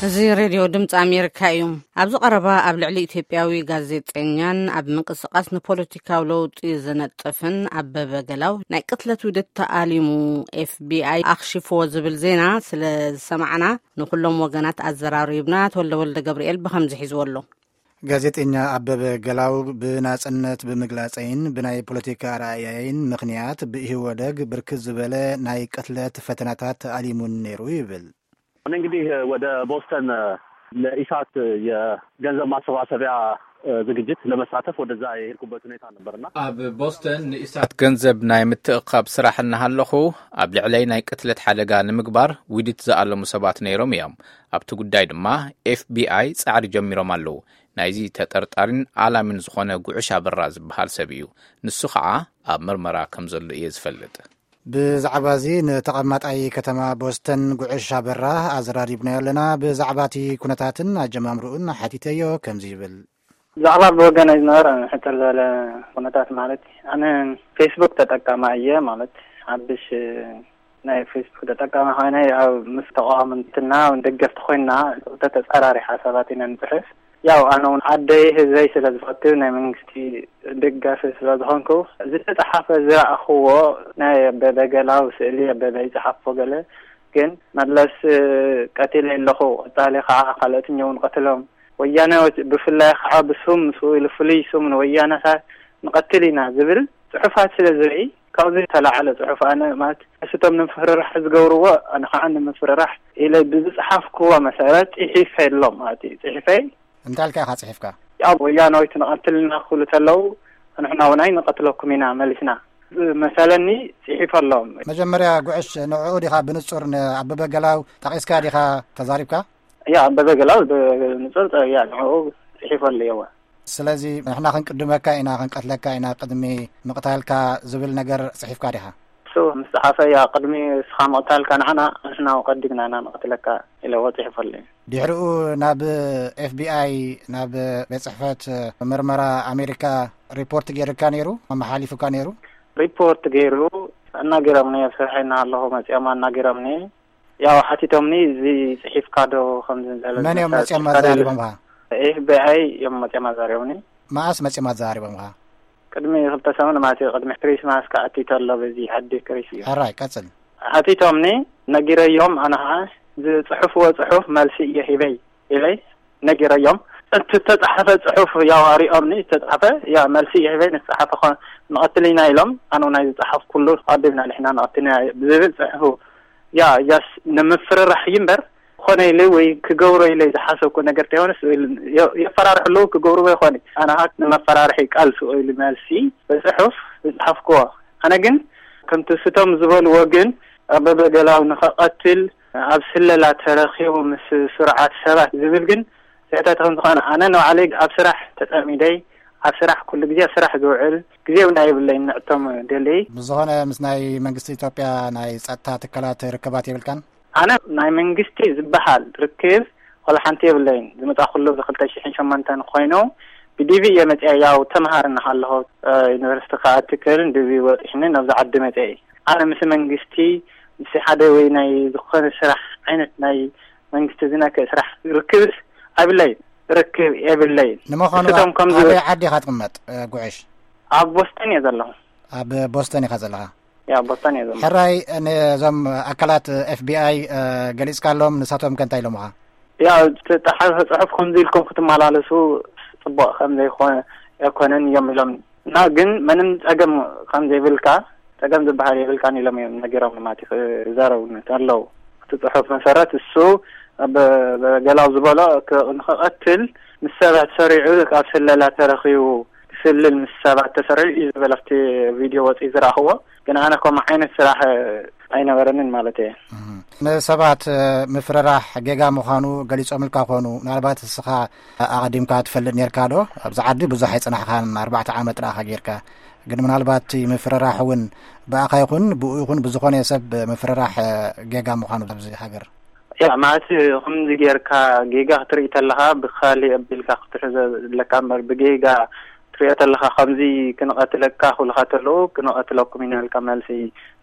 እዚ ሬድዮ ድምፂ ኣሜሪካ እዩ። ኣብዚ ቀረባ ኣብ ልዕሊ ኢትዮጵያዊ ጋዜጠኛን ኣብ ምንቅስቃስ ንፖለቲካዊ ለውጢ ዝነጥፍን ኣበበ ገላው ናይ ቅትለት ውድት ተኣሊሙ፣ ኤፍቢኣይ ኣኽሽፍዎ ዝብል ዜና ስለ ዝሰማዕና፣ ንኩሎም ወገናት ኣዘራሪብና። ተወልደ ወልደ ገብርኤል ብኸምዚ ሒዝዎ ኣሎ። ጋዜጠኛ ኣበበ ገላው ብናጽነት ብምግላጸይን ብናይ ፖለቲካ ኣረኣእያይን ምኽንያት ብኢህወደግ ብርክት ዝበለ ናይ ቅትለት ፈተናታት ተኣሊሙን ነይሩ ይብል። እኔ እንግዲህ ወደ ቦስተን ለኢሳት የገንዘብ ማሰባሰቢያ ዝግጅት ለመሳተፍ ወደዛ የሄድኩበት ሁኔታ ነበርና። ኣብ ቦስተን ንኢሳት ገንዘብ ናይ ምትእኻብ ስራሕ እናሃለኹ፣ ኣብ ልዕለይ ናይ ቅትለት ሓደጋ ንምግባር ውዲት ዝኣለሙ ሰባት ነይሮም እዮም። ኣብቲ ጉዳይ ድማ ኤፍቢኣይ ጻዕሪ ጀሚሮም ኣለዉ። ናይዚ ተጠርጣሪን ኣላሚን ዝኾነ ጉዕሽ ኣበራ ዝበሃል ሰብ እዩ። ንሱ ኸዓ ኣብ ምርመራ ከም ዘሎ እየ ዝፈልጥ። ብዛዕባ እዚ ንተቐማጣይ ከተማ ቦስተን ጉዕሽ ኣበራ ኣዘራሪብናዮ ኣለና። ብዛዕባ እቲ ኩነታትን ኣጀማምርኡን ሓቲተዮ ከምዚ ይብል። ብዛዕባ ብወገነይ ዝነበረ ሕጽር ዝበለ ኩነታት ማለት፣ ኣነ ፌስቡክ ተጠቃማይ እየ። ማለት፣ ሓድሽ ናይ ፌስቡክ ተጠቃሚ ኮይነ፣ ኣብ ምስ ተቃወምትና ደገፍቲ ኮይና፣ ተጻራሪ ሓሳባት ኢና ንጽሕፍ። ያው ኣነ እውን ዓደይ ህዝበይ ስለ ዝፈቱ፣ ናይ መንግስቲ ደጋፊ ስለ ዝኾንኩ፣ ዝተጻሓፈ ዝረኣኽዎ ናይ ኣበበ ገላው ስእሊ፣ ኣበበ ይጽሓፎ ገለ፣ ግን መለስ ቀቲለ ኣለኹ፣ ቀጻሊ ከዓ ካልኦትኛ እውን ቀትሎም፣ ወያነ ብፍላይ ከዓ ብሱም ምስኡ ኢሉ ፍሉይ ሱም ንወያነታት ንቐትል ኢና ዝብል ጽሑፋት ስለ ዝርኢ፣ ካብዚ ዝተላዓለ ጽሑፍ ኣነ ማለት፣ እቶም ንምፍርራሕ ዝገብርዎ፣ ኣነ ከዓ ንምፍርራሕ ኢለ ብዝጸሓፍክዎ መሰረት ጽሒፈ ኣሎ ማለት እዩ። ጽሒፈይ እንታይ ኢልካ ኢኻ ጽሒፍካ? ኣብ ወያናዊት ንቐትል ኢና ክብሉ ተለዉ፣ ንሕና እውን ኣይንቐትለኩም ኢና መሊስና። መሰለኒ ጽሒፈ ኣሎ። መጀመርያ ጉዕሽ ንዕኡ ዲኻ ብንጹር ንኣበበ ገላው ጠቒስካ ዲኻ ተዛሪብካ? ያ ኣበበ ገላው ብንጹር ያ ንዕኡ ጽሒፈ ኣሎ። የወ። ስለዚ ንሕና ክንቅድመካ ኢና ክንቀትለካ ኢና ቅድሚ ምቕታልካ ዝብል ነገር ጽሒፍካ ዲኻ? እሱ ምስ ጸሓፈ ያ ቅድሚ እስኻ ምቕታልካ ንዓና ንሕና ቀዲምና ኢና ንቐትለካ ኢለዎ ጽሒፈሉ እዩ። ድሕሪኡ ናብ ኤፍቢኣይ ናብ ቤት ጽሕፈት ምርመራ ኣሜሪካ ሪፖርት ገይርካ ነይሩ ኣመሓሊፉካ ነይሩ? ሪፖርት ገይሩ ኣናጊሮምኒ ኣብ ስርሐይ እናሃለኹ መጺኦም ኣናጊሮምኒ። ያው ሓቲቶምኒ እዚ ጽሒፍካ ዶ ከምዚ ዝበለ መን እዮም መጺኦም ኣዛሪቦምኻ? ኤፍቢኣይ እዮም መጺኦም ኣዛሪቦምኒ። መኣስ መጺኦም ኣዛሪቦምኻ? ቅድሚ ክልተ ሰሙን ማለት እዩ። ቅድሚ ክሪስማስ ክኣቲ ተሎ በዚ ዓዲ ክሪስ እዩ። ሕራይ ቀጽል። ሓቲቶምኒ ነጊረዮም ኣነ ኸዓ ዝጽሕፍዎ ጽሑፍ መልሲ እየ ሂበይ ኢለይ ነጊረዮም። እቲ ዝተጻሓፈ ጽሑፍ ያው ኣሪኦምኒ ዝተጻሓፈ ያ መልሲ እየ ሂበይ ንዝጸሓፈ ኸ ንቐትል ኢና ኢሎም ኣነ ናይ ዝጸሓፍኩሉ ኣቢልና ንሕና ንቐትል ኢና ብዝብል ጽሑፉ ያ ያስ ንምፍርራሕ እዩ እምበር ኮነ ኢለ ወይ ክገብሮ ኢለ ዝሓሰብኩ ነገር ተይኮነስ የፈራርሑ ኣለዉ ክገብርዎ ይኾን ኣነ ካ ንመፈራርሒ ቃል ስኡ ኢሉ መልሲ ብፅሑፍ ዝፅሓፍክዎ ኣነ ግን ከምቲ ስቶም ዝበልዎ ግን ኣበበ ገላው ንኸቐትል ኣብ ስለላ ተረኺቡ ምስ ስሩዓት ሰባት ዝብል ግን ስሕተት ከም ዝኾነ ኣነ ንባዕለይ ኣብ ስራሕ ተፀሚደይ ኣብ ስራሕ ኩሉ ግዜ ኣብ ስራሕ ዝውዕል ግዜ እውን ኣይብለይን ንዕቶም ደልይ ብዝኾነ ምስ ናይ መንግስቲ ኢትዮጵያ ናይ ፀጥታ ትካላት ርክባት የብልካን ኣነ ናይ መንግስቲ ዝበሃል ርክብ ዋላ ሓንቲ የብለይን። ዝመፃእኩሉ ብ ክልተ ሽሕን ሸሞንተን ኮይኑ ብዲቪ እየ መፅአ። ያው ተምሃሪ እናሃለኹ ዩኒቨርሲቲ ክኣቲ ክእል ን ዲቪ ወፂሕኒ ናብዚ ዓዲ መፅአ። ኣነ ምስ መንግስቲ ምስ ሓደ ወይ ናይ ዝኾነ ስራሕ ዓይነት ናይ መንግስቲ ዝነክእ ስራሕ ርክብስ ኣብለይን። ርክብ የብለይን። ንምዃኑ ንስቶም ከምዚ ኣበይ ዓዲ ኢኻ ትቕመጥ ጉዕሽ? ኣብ ቦስተን እየ ዘለኹ። ኣብ ቦስተን ኢኻ ዘለኻ? ያ ቦስተን እየ ዘሎ። ሕራይ ነዞም ኣካላት ኤፍቢኣይ ገሊጽካሎም፣ ንሳቶም ከ እንታይ ኢሎምኻ? ያው ዝተጻሓፈ ጽሑፍ ከምዚ ኢልኩም ክትመላለሱ ጽቡቕ ከም ዘይኮነ ኣይኮነን እዮም ኢሎም እና ግን ምንም ጸገም ከም ዘይብልካ ጸገም ዝበሃል የብልካን ኢሎም እዮም ነጊሮም ማለት እዩ ክዛረቡ ኣለዉ። እቲ ጽሑፍ መሰረት እሱ ገላው ዝበሎ ንክቐትል ምስ ሰባት ሰሪዑ ካብ ስለላ ተረኺቡ ክስልል ምስ ሰባት ተሰሪዑ እዩ ዝበለ ኣብቲ ቪድዮ ወፂኡ ዝረኣኽዎ። ግን ኣነ ከምኡ ዓይነት ስራሕ ኣይነበረንን ማለት እየ። ንሰባት ምፍርራሕ ጌጋ ምዃኑ ገሊጾምልካ ኮኑ፣ ምናልባት እስኻ ኣቐዲምካ ትፈልጥ ኔርካ ዶ? ኣብዚ ዓዲ ብዙሕ ኣይጸናሕካን፣ ኣርባዕተ ዓመት ጥራኻ ጌርካ። ግን ምናልባት እቲ ምፍርራሕ እውን ብኣኻ ይኹን ብኡ ይኹን ብዝኾነ ሰብ ምፍርራሕ ጌጋ ምዃኑ ኣብዚ ሃገር። ያ ማለት ከምዚ ጌርካ ጌጋ ክትርኢ ተለኻ ብኻሊእ ኣቢልካ ክትሕዞ ኣለካ እምበር ብጌጋ ትሪኦ ተለኻ ከምዚ ክንቐትለካ ክብሉኻ ተለዉ፣ ክንቐትለኩም ኢና ኢልካ መልሲ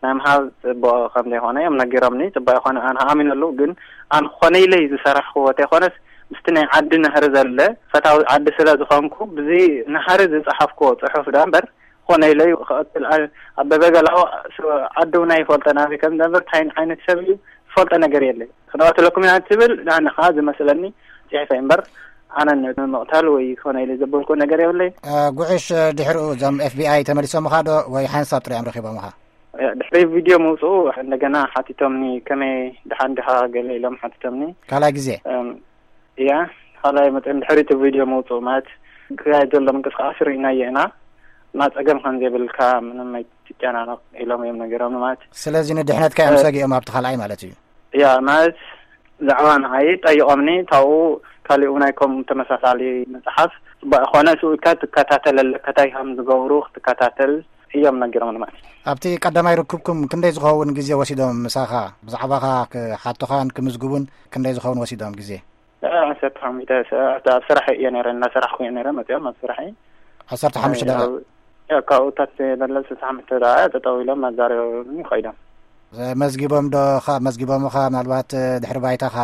ናይ ምሃብ ጽቡቕ ከም ዘይኮነ እዮም ነጊሮምኒ። ጽቡቕ ይኾነ ኣነ ኣሚነሉ፣ ግን ኣነ ክኾነ ኢለይ ዝሰራሕክዎ ተይኮነስ ምስቲ ናይ ዓዲ ናህሪ ዘለ ፈታዊ ዓዲ ስለ ዝኾንኩ ብዚ ናህሪ ዝጸሓፍክዎ ጽሑፍ ዳ እምበር ክኾነ ኢለይ ክቐትል ኣነ ኣብ በበገላኡ ስ-፣ ዓዲ እውን ኣይፈልጦን ኣበይ ከም ዝነብር ታይ ዓይነት ሰብ እዩ ዝፈልጦ ነገር የለይ። ክንቐትለኩም ኢና ትብል ንኣነ ከዓ ዝመስለኒ ጽሒፈ እምበር ኣነ ንምቕታል ወይ ክኾነ ኢለ ዘበልኩ ነገር የብለይ። እ፣ ጉዕሽ ድሕሪኡ እዞም ኤፍ ቢ ኣይ ተመሊሶምኻ ዶ ወይ ሓንሳብ ጥሪኦም ረኺቦምኻ? እ፣ ድሕሪ ቪድዮ ምውፅኡ እንደገና ሓቲቶምኒ፣ ከመይ ድሓን ድኻ ገለ ኢሎም ሓቲቶምኒ። ካልኣይ ግዜ? እም፣ እያ፣ ካልኣይ መፅኦም ድሕሪ እቲ ቪድዮ ምውፅኡ ማለት ክካየድ ዘሎ ምንቅስቃስ ርኢናዮ ኢና እና ፀገም ከም ዘይብልካ ምንም ኣይትጨናነቕ ኢሎም እዮም ነገሮም ማለት። ስለዚ ንድሕነትካ እዮም እ፣ ሰጊኦም ኣብቲ ካልኣይ ማለት እዩ። እያ ማለት ብዛዕባ ንዓይ ጠይቖምኒ፣ ካብኡ ካሊኡ ናይ ከምኡ ተመሳሳሊ መፅሓፍ ጽቡቕ ይኾነ፣ ስኡ ኢልካ ትከታተል ኣለካ፣ እንታይ ከም ዝገብሩ ክትከታተል እዮም ነጊሮምኒ ማለት እዩ። ኣብቲ ቀዳማይ ርክብኩም ክንደይ ዝኸውን ግዜ ወሲዶም ምሳኻ? ብዛዕባኻ ክሓቱኻን ክምዝግቡን ክንደይ ዝኸውን ወሲዶም ግዜ? እ፣ ዓሰርተ ሓሙሽተ ሰ-፣ ኣብ ስራሕ እየ ነይረ፣ እናሰራሕኩ እየ ነይረ፣ መፅኦም ኣብ ስራሕ እየ። ዓሰርተ ሓሙሽተ እ፣ ደቂቕ? ኣብ፣ እ፣ ካብኡ ታች በለ ስልሳ ሓሙሽተ ደቂቕ ጠጠው ኢሎም ኣዛሪቦም ይኸይዶም። መዝጊቦም ዶ ኻ-፣ መዝጊቦምኻ ምናልባት ድሕሪ ባይታኻ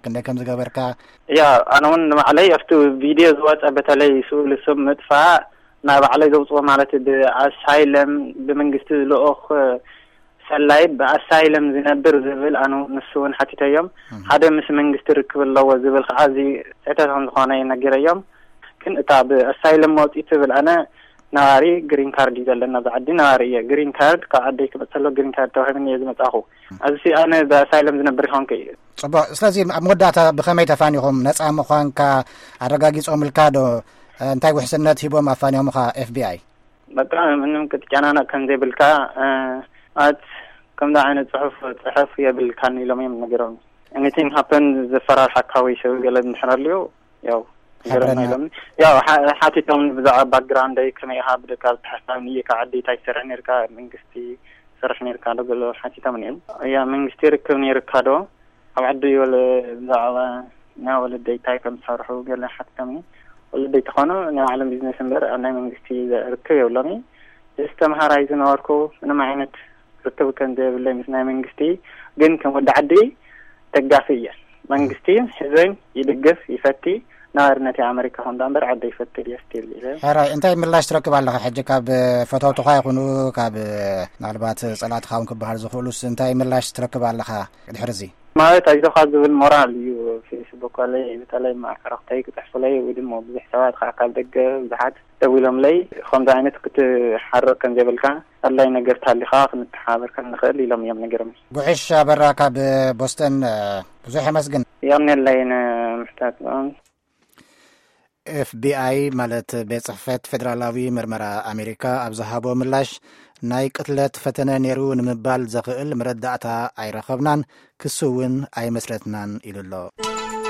ክንደይ ከም ዝገበርካ? ያ፣ ኣነ እውን ንባዕለይ ኣብቲ ቪድዮ ዝወፀ በተለይ ስእሊ ስም ምጥፋእ ናይ ባዕለይ ዘውፅኦ ማለት ብኣሳይለም ብመንግስቲ ልኡኽ ሰላይ ብኣሳይለም ዝነብር ዝብል ኣነ ንሱ እውን ሓቲተዮም። እም። ሓደ ምስ መንግስቲ ርክብ ኣለዎ ዝብል ከዓ እዚ ስሕተት ከም ዝኾነ ነጊረዮም። ግን እታ ብኣሳይለም መውፂእ ትብል ኣነ ነባሪ ግሪን ካርድ እዩ ዘለና ኣብዚ ዓዲ ነባሪ እየ። ግሪን ካርድ ካብ ዓደይ ክመፅእ ከሎ ግሪን ካርድ ተዋሂብኒ እየ ዝመፃኹ። ኣብዚ ኣነ ብኣሳይለም ዝነብር ይኾንኩ እዩ። ፅቡቅ። ስለዚ ኣብ መወዳእታ ብኸመይ ተፋኒኹም? ነፃ ምዃንካ ኣረጋጊፆምልካ ዶ? እንታይ ውሕስነት ሂቦም ኣፋንዮምኻ ኤፍ ቢ ኣይ? በቃ ምንም ክትጨናነቕ ከም ዘይብልካ፣ እ፣ ማለት ከምዚ ዓይነት ጽሑፍ ጽሕፍ የብልካን ኢሎም እዮም ነጊሮም። Anything happen ዘፈራርሓካ ወይ ሰብ ገለ እንድሕር ኣልዩ፣ ያው ሓብረና። ገረና ኢሎም። ያው ሓ-፣ ሓቲቶም ብዛዕባ ባክግራውንደይ ከመይ ኢኻ ብደቃ ዝተሓሳብ ንየካ ዓዲ እንታይ ትሰርሕ ነርካ፣ መንግስቲ ትሰርሕ ነርካ ዶ ገለ ሓቲቶም እዮም። ያ መንግስቲ ርክብ ነይርካ ዶ? ኣብ ዓዲ ወለ ብዛዕባ ናይ ወለደይ እንታይ ከም ዝሰርሑ ገለ ሓቲቶምኒ። ወለደይ ተኾኑ ናይ ባዕሎም ቢዝነስ እምበር ኣብ ናይ መንግስቲ ርክብ የብሎምን። ጀስት ተምሃራይ ዝነበርኩ ምንም ዓይነት ርክብ ከም ዘይብለይ ምስ ናይ መንግስቲ፣ ግን ከም ወዲ ዓዲ ደጋፊ እየ። መንግስቲ ህዝበይ ይድግፍ፣ ይፈቲ፣ ነባርነት ኣመሪካ ኹን እምበር ዓዲ ይፈቲ እየ ስቲል ኢለ። ሕራይ፣ እንታይ ምላሽ ትረክብ ኣለኻ ሕጂ ካብ ፈተውትኻ ይኹኑ ካብ ምናልባት ጸላእትኻ እውን ክበሃል ዝኽእሉስ እንታይ ምላሽ ትረክብ ኣለኻ ድሕሪ እዚ? ማለት ኣይዞኻ ዝብል ሞራል እዩ። ፌስቡክ ኣለይ፣ በተለይ መዓረኽተይ ክጽሕፉለይ ወይ ድማ ብዙሕ ሰባት ከዓ ካብ ደገ ብዙሓት ደዊሎምለይ፣ ከምዚ ዓይነት ክትሓርቕ ከም ዘይብልካ፣ ኣድላይ ነገር ታሊኻ ክንተሓባበር ከም ንኽእል ኢሎም እዮም ነጊሮም። ጉዕሽ ኣበራ ካብ ቦስተን፣ ብዙሕ የመስግን። የቕንየለይ ንምሕታት። ኤፍ ቢ ኣይ ማለት ቤት ጽሕፈት ፌደራላዊ ምርመራ ኣሜሪካ ኣብ ዝሃቦ ምላሽ፣ ናይ ቅትለት ፈተነ ነይሩ ንምባል ዘኽእል መረዳእታ ኣይረኸብናን፣ ክሲ እውን ኣይመስረትናን ኢሉ ኣሎ።